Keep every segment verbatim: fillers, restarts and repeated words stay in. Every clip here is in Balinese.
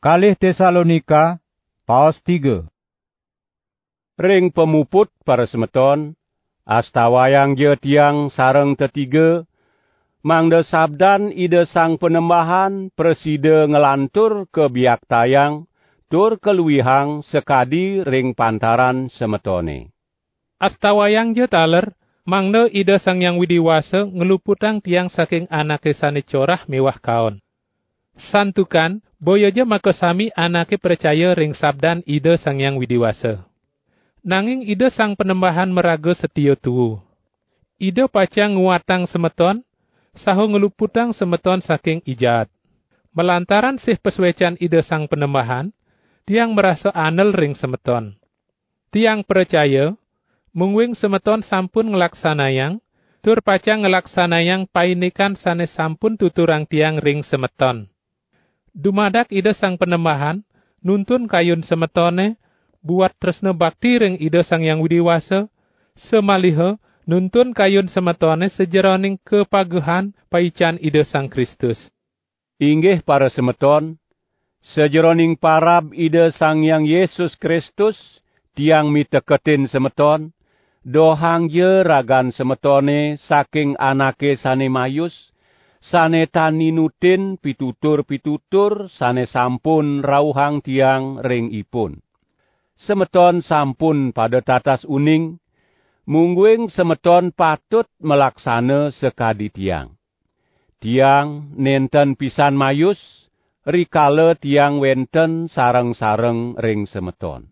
Kalih Tesalonika, paos tiga. Ring pamuput, para semeton, astawayangja tiang sareng tetiga, mangda sabdan Ida Sang Panembahan prasida nglantur kabiaktayang tur kaluihang sakadi ring pantaran semetone. Astawayangja taler, mangda Ida Sang Hyang Widi Wasa ngluputang tiang saking anake sane corah miwah kaon. Santukan, boyaja makasami anake pracaya ring sabdan Ida Sang Hyang Widi Wasa. Nanging Ida Sang Panembahan maraga satia tuu. Ida pacang nguatang semeton, saha ngluputang semeton saking I Jaat. Malantaran sih pasuecan Ida Sang Panembahan, tiang marasa anel ring semeton. Tiang pracaya, mungguing semeton sampun nglaksanayang, tur pacang nglaksanayang paindikan sane sampun tuturang tiang ring semeton. Dumadak Ida Sang Panembahan nuntun kayun semetone buat tresna bakti ring Ida Sang Hyang Widi Wasa, samaliha nuntun kayun semetone sajeroning kapagehan paican Ida Sang Kristus. Inggih para semeton, sajeroning parab Ida Sang Hyang Yesus Kristus, tiang miteketin semeton, dohangja ragan semetone saking anake sane mayus, sane tan ninutin pitutur-pitutur sane sampun rauhang tiang ring ipun. Semeton sampun pada tatas uning, mungguing semeton patut malaksana sakadi tiang. Tiang nenten pisan mayus, rikala tiang wenten sareng-sareng ring semeton.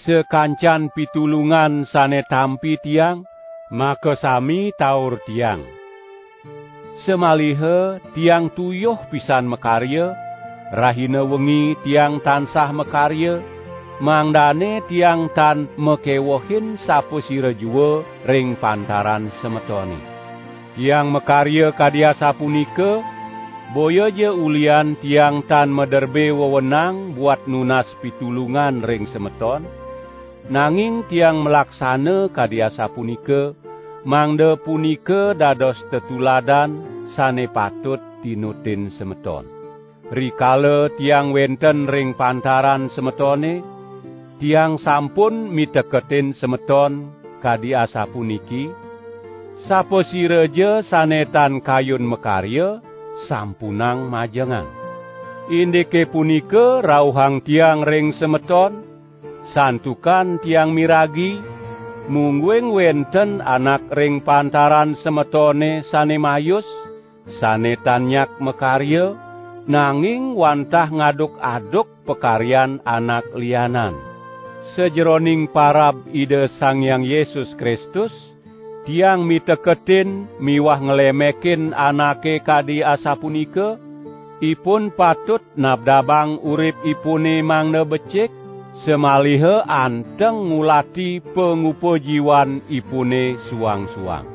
Sakancan pitulungan sane tampi tiang, makasami taur tiang. Samaliha tiang tuyuh pisan makarya, rahina wengi tiang tansah makarya, mangdane tiang tan makewehin sapasira jua ring pantaran semetone. Tiang makarya kadi asapunika, boyaja ulian tiang tan maderbe wewenang buat nunas pitulungan ring semeton, nanging tiang malaksana kadi asapunika, mangda punika dados tetuladan sane patut tinutin semeton. Rikala tiang wenten ring pantaran semetone, tiang sampun miteketin semeton kadi asapuniki, sapasiraja sane tan kayun makarya, sampunang majengan. Indike punika rauhang tiang ring semeton, santukan tiang miragi, mungguing wenten anak ring pantaran semetone sane mayus, sane tan nyak makarya, nanging wantah ngaduk-aduk pakaryan anak lianan. Sajeroning parab Ida Sang Hyang Yesus Kristus, tiang miteketin miwah nglemekin anake kadi asapunika, ipun patut nabdabang uripipune mangda becik, samaliha anteng ngulati pangupa jiwanipune suang-suang.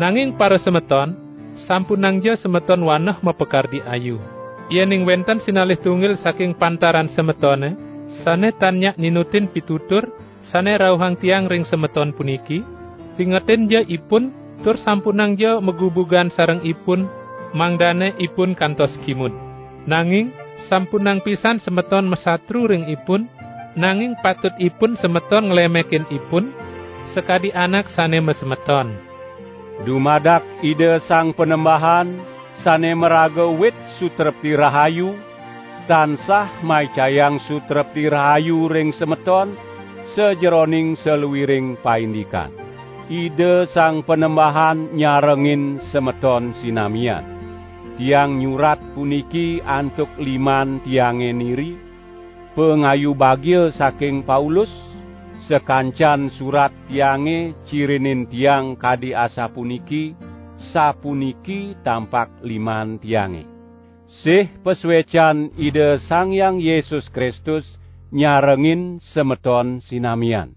Nanging para semeton, sampunangja semeton waneh mapakardi ayu. Yening wenten sinalih tunggil saking pantaran semetone, sane tan nyak ninutin pitutur, sane rauhang tiang ring semeton puniki, pingetinja ipun, tur sampunangja magubugan sareng ipun, mangdane ipun kantos kimud. Nanging, sampunang pisan semeton masatru ring ipun, nanging patut ipun semeton nglemekin ipun, sakadi anak sane masemeton. Dumadak Ida Sang Panembahan, sane maraga wit sutrepti rahayu, tansah maicayang sutrepti rahayu ring semeton, sajeroning saluiring paindikan. Ida Sang Panembahan nyarengin semeton sinamian. Tiang nyurat puniki antuk liman tiange niri, pangayu bagia saking Paulus, sakancan surat tiange cirinin tiang kadi asapuniki, sapuniki tampak liman tiange. Sih pasuecan Ida Sang Hyang Yesus Kristus nyarengin semeton sinamian.